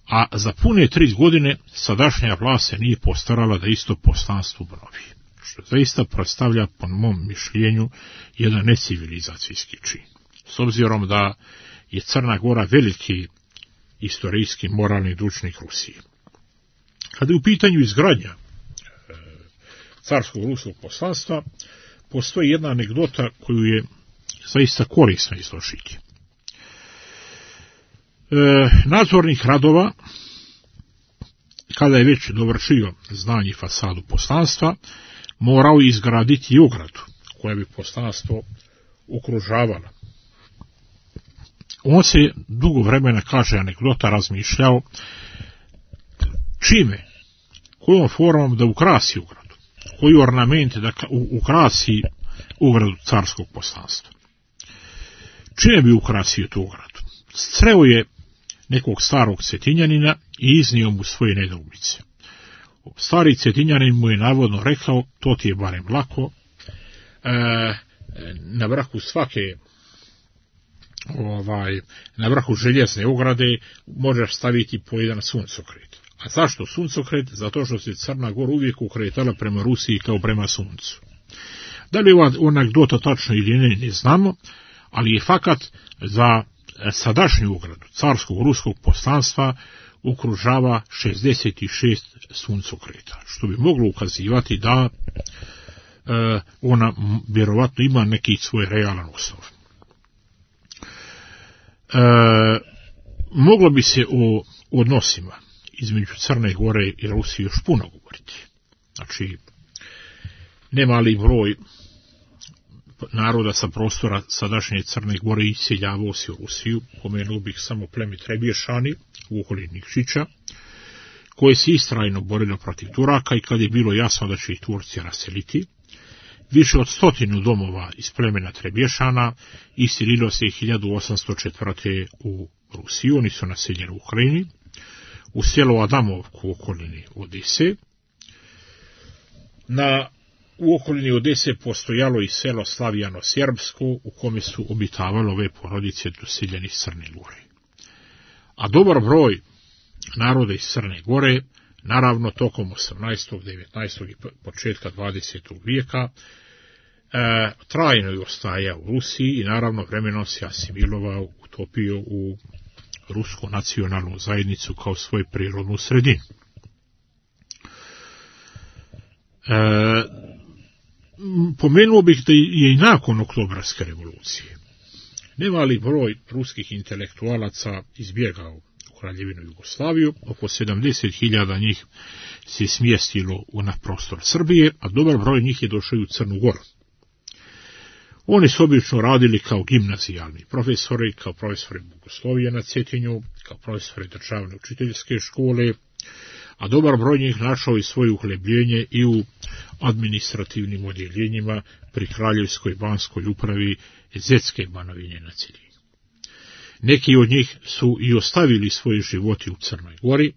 a za pune tri godine sadašnja vlast se nije postarala da isto poslanstvo obnovi, što zaista predstavlja, po mom mišljenju, jedan necivilizacijski čin. S obzirom da je Crna Gora veliki istorijski moralni dužnik Rusije. Kada je u pitanju izgradnja e, carskog ruskog poslanstva, postoji jedna anegdota koju je zaista korisno izložiti. E, nadzornik radova, kada je već dovršio zdanje i fasadu poslanstva, morao izgraditi i ogradu koja bi poslanstvo okružavala. On se dugo vremena, kaže anegdota, razmišljao čime, kojom formom da ukrasi ogradu, koji ornament da ukrasi ogradu carskog poslanstva. Čime bi ukrasio tu ogradu? Sreo je nekog starog Cetinjanina i iznio mu svoje nedoumice. Stari Cetinjanin mu je navodno rekao, to ti je barem lako, e, na vrhu svake ovaj, na vrhu željezne ograde možeš staviti po jedan suncokret. A zašto suncokret? Zato što se Crna Gora uvijek ukretala prema Rusiji kao prema suncu. Da li je ova anegdota tačno ili ne, ne znamo, ali je fakat za sadašnju ogradu carskog ruskog poslanstva okružava šezdeset šest suncokreta, što bi moglo ukazivati da e, ona vjerovatno ima neki svoj realan osnov. E, moglo bi se o odnosima između Crne Gore i Rusije još puno govoriti. Znači, nemali broj naroda sa prostora sadašnje Crne Gore iseljavao se u Rusiju, pomenuo bih samo pleme Trebješani u okolini Nikšića, koje se istrajno borilo protiv Turaka i kad je bilo jasno da će ih Turci raseliti, više od stotinu domova iz plemena Trebješana iselilo se hiljadu osamsto četvrte. u Rusiju. Oni su naseljeni u Ukrajini, u selo Adamovku u okolini Odese. Na U okolini Odese postojalo i selo Slavijano-Serbsko, u kome su obitavale ove porodice doseljeni iz Crne Gore. A dobar broj naroda iz Crne Gore, naravno tokom osamnaestog, devetnaestog i početka dvadesetog vijeka, e, trajno je ostajao u Rusiji i naravno vremenom se asimilovao, utopio u rusku nacionalnu zajednicu kao svoju prirodnu sredinu. E, pomenuo bih da je i nakon Oktobarske revolucije nemali broj ruskih intelektualaca izbjegao u Kraljevinu Jugoslaviju, oko sedamdeset hiljada njih se smjestilo na prostor Srbije, a dobar broj njih je došao i u Crnu Goru. Oni su obično radili kao gimnazijalni profesori, kao profesori bogoslovije na Cetinju, kao profesori državne učiteljske škole, a dobar broj njih našao i svoje uhlebljenje i u administrativnim odjeljenjima pri Kraljevskoj banskoj upravi Zetske Banovine na Cetinju. Neki od njih su i ostavili svoje živote u Crnoj Gori,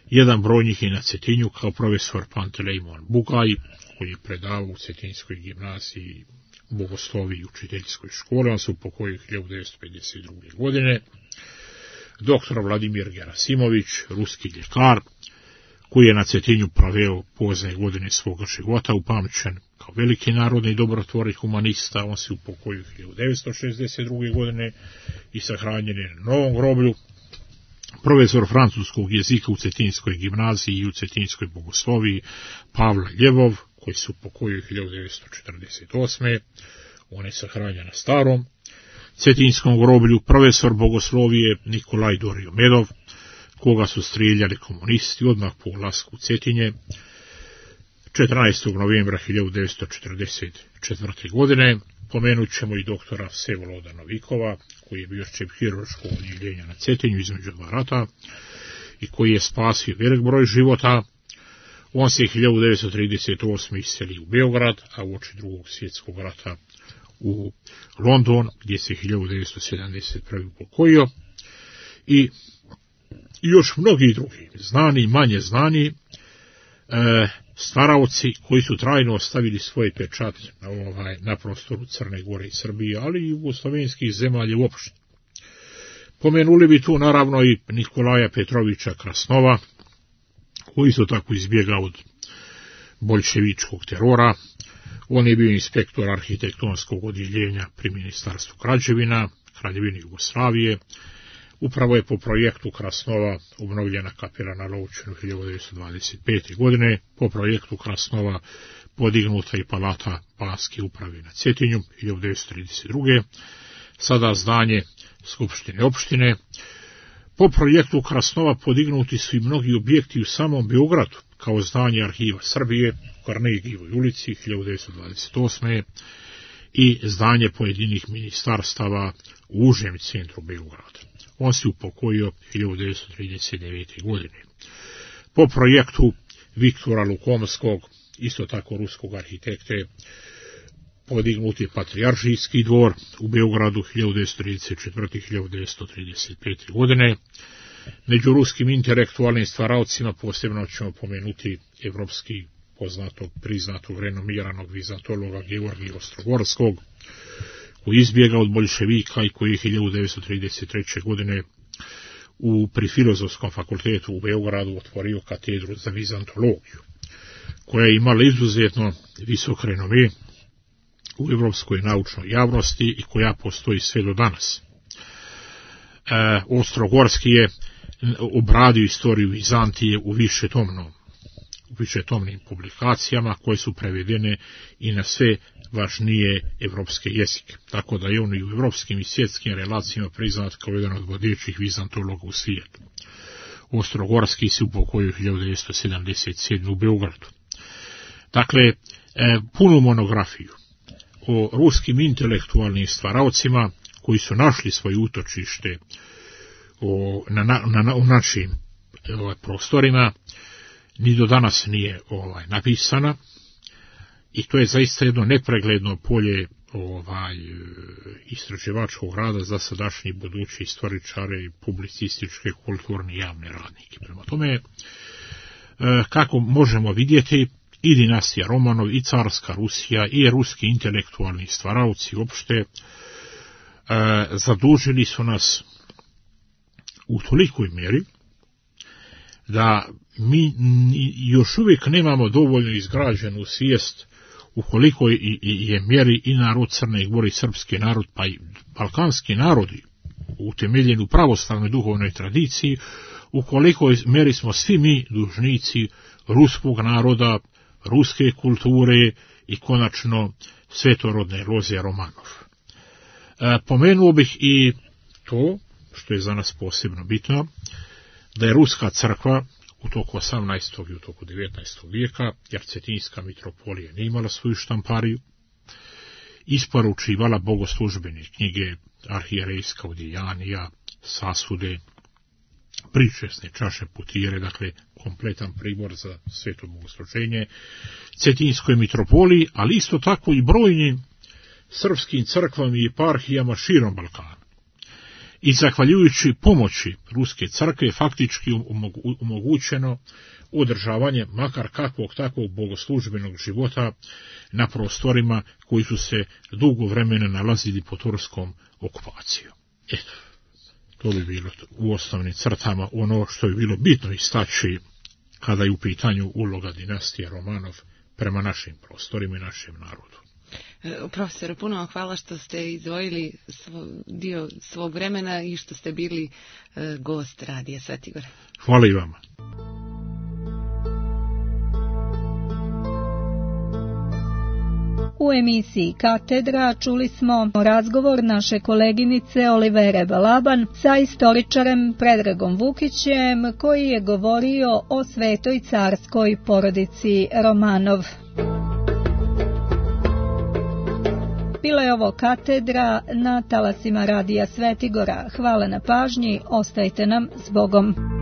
jedan broj njih je na Cetinju kao profesor Pantelejmon Bugaj, koji je predavao u Cetinskoj gimnaziji bogosloviji i učiteljskoj školi, on se upokojio hiljadu devetsto pedeset druge. godine, doktor Vladimir Gerasimović, ruski ljekar, koji je na Cetinju proveo pozne godine svoga života, upamćen kao veliki narodni dobrotvor i humanista, on se upokojio hiljadu devetsto šezdeset druge. godine i sahranjen je na Novom groblju. Profesor francuskog jezika u Cetinskoj gimnaziji i u Cetinskoj bogosloviji Pavla Ljevov, koji se upokojio hiljadu devetsto četrdeset osme. on je sahranjen na Starom Cetinskom groblju. Profesor bogoslovije Nikolaj Doriomedov, koga su strijeljali komunisti odmah po ulasku u Cetinje četrnaestog novembra hiljadu devetsto četrdeset četvrte. godine. Pomenut ćemo i doktora Vsevoloda Novikova, koji je bio šef hirurškog odjeljenja na Cetinju između dva rata i koji je spasio velik broj života. On se hiljadu devetsto trideset osme. iselio u Beograd, a uoči drugog svjetskog rata u London, gdje se hiljadu devetsto sedamdeset prve. upokojio. I još mnogi drugi, znani i manje znani, e, stvaraoci koji su trajno ostavili svoje pečat na, ovaj, na prostoru Crne Gore i Srbije, ali i jugoslovenskih zemalja uopšte. Pomenuli bi tu naravno i Nikolaja Petrovića Krasnova, koji su tako izbjegao od boljševičkog terora. On je bio inspektor arhitektonskog odjeljenja pri Ministarstvu građevina Kraljevine Jugoslavije. Upravo je po projektu Krasnova obnovljena kapela na Lovćenu hiljadu devetsto dvadeset pete. godine, po projektu Krasnova podignuta i palata Banske uprave na Cetinju hiljadu devetsto trideset druge. sada zdanje Skupštine opštine. Po projektu Krasnova podignuti su i mnogi objekti u samom Beogradu, kao zdanje Arhiva Srbije u Karnegijevoj ulici hiljadu devetsto dvadeset osme. i zdanje pojedinih ministarstava u užem centru Beograda. On se upokojio hiljadu devetsto trideset devete. godine. Po projektu Viktora Lukomskog, isto tako ruskog arhitekte, podignut je Patrijaršijski dvor u Beogradu hiljadu devetsto trideset četvrte. i hiljadu devetsto trideset pete. godine. Među ruskim intelektualnim stvaraocima posebno ćemo pomenuti evropski poznatog, priznatog, renomiranog vizantologa Georgija Ostrogorskog, koji izbjega od boljševika i koji je hiljadu devetsto trideset treće. godine u, pri Filozofskom fakultetu u Beogradu otvorio katedru za vizantologiju, koja je imala izuzetno visok renome u evropskoj naučnoj javnosti i koja postoji sve do danas. E, Ostrogorski je obradio istoriju Vizantije u višetomnom u višetomnim publikacijama koje su prevedene i na sve važnije evropske jezike, tako da je on i u evropskim i svjetskim relacijama priznat kao jedan od vodećih vizantologa u svijetu. Ostrogorski se upokojio hiljadu devetsto sedamdeset sedme. u Beogradu. Dakle, e, punu monografiju o ruskim intelektualnim stvaraocima koji su našli svoje utočište o, na, na, na, u našim ovaj, prostorima, ni do danas nije ovaj, napisana, i to je zaista jedno nepregledno polje ovaj, istraživačkog rada za sadašnji budući istoričare i publicističke, kulturne i javne radnike. Prema tome, kako možemo vidjeti, i dinastija Romanov, i carska Rusija, i ruski intelektualni stvaraoci uopšte zadužili su nas u tolikoj mjeri da mi još uvijek nemamo dovoljno izgrađenu svijest u kolikoj je mjeri i narod Crne Gore i srpski narod, pa i balkanski narodi, utemeljeni u pravoslavnoj duhovnoj tradiciji, u kolikoj mjeri smo svi mi dužnici ruskog naroda, ruske kulture i konačno svetorodne loze Romanov. E, pomenuo bih i to, što je za nas posebno bitno, da je ruska crkva u toku osamnaestog i u toku devetnaestog vijeka, jer Cetinjska mitropolija nije imala svoju štampariju, isporučivala bogoslužbene knjige, arhijerejska odjejanija, sasude, pričesne čaše putire, dakle kompletan pribor za sveto bogosluženje Cetinjskoj mitropoliji, ali isto tako i brojnim srpskim crkvama i eparhijama širom Balkana. I zahvaljujući pomoći ruske crkve faktički omogućeno održavanje makar kakvog takvog bogoslužbenog života na prostorima koji su se dugo vremena nalazili pod turskom okupacijom. Eto, to bi bilo u osnovnim crtama ono što je bilo bitno istaći kada je u pitanju uloga dinastije Romanov prema našim prostorima i našem narodu. Profesore, puno vam hvala što ste izdvojili svo, dio svog vremena i što ste bili e, gost Radija Svetigora. Hvala i vama. U emisiji Katedra čuli smo razgovor naše koleginice Olivere Balaban sa istoričarem Predragom Vukićem, koji je govorio o svetoj carskoj porodici Romanov. Bila je ovo Katedra na talasima Radija Svetigora. Hvala na pažnji, ostajte nam s Bogom.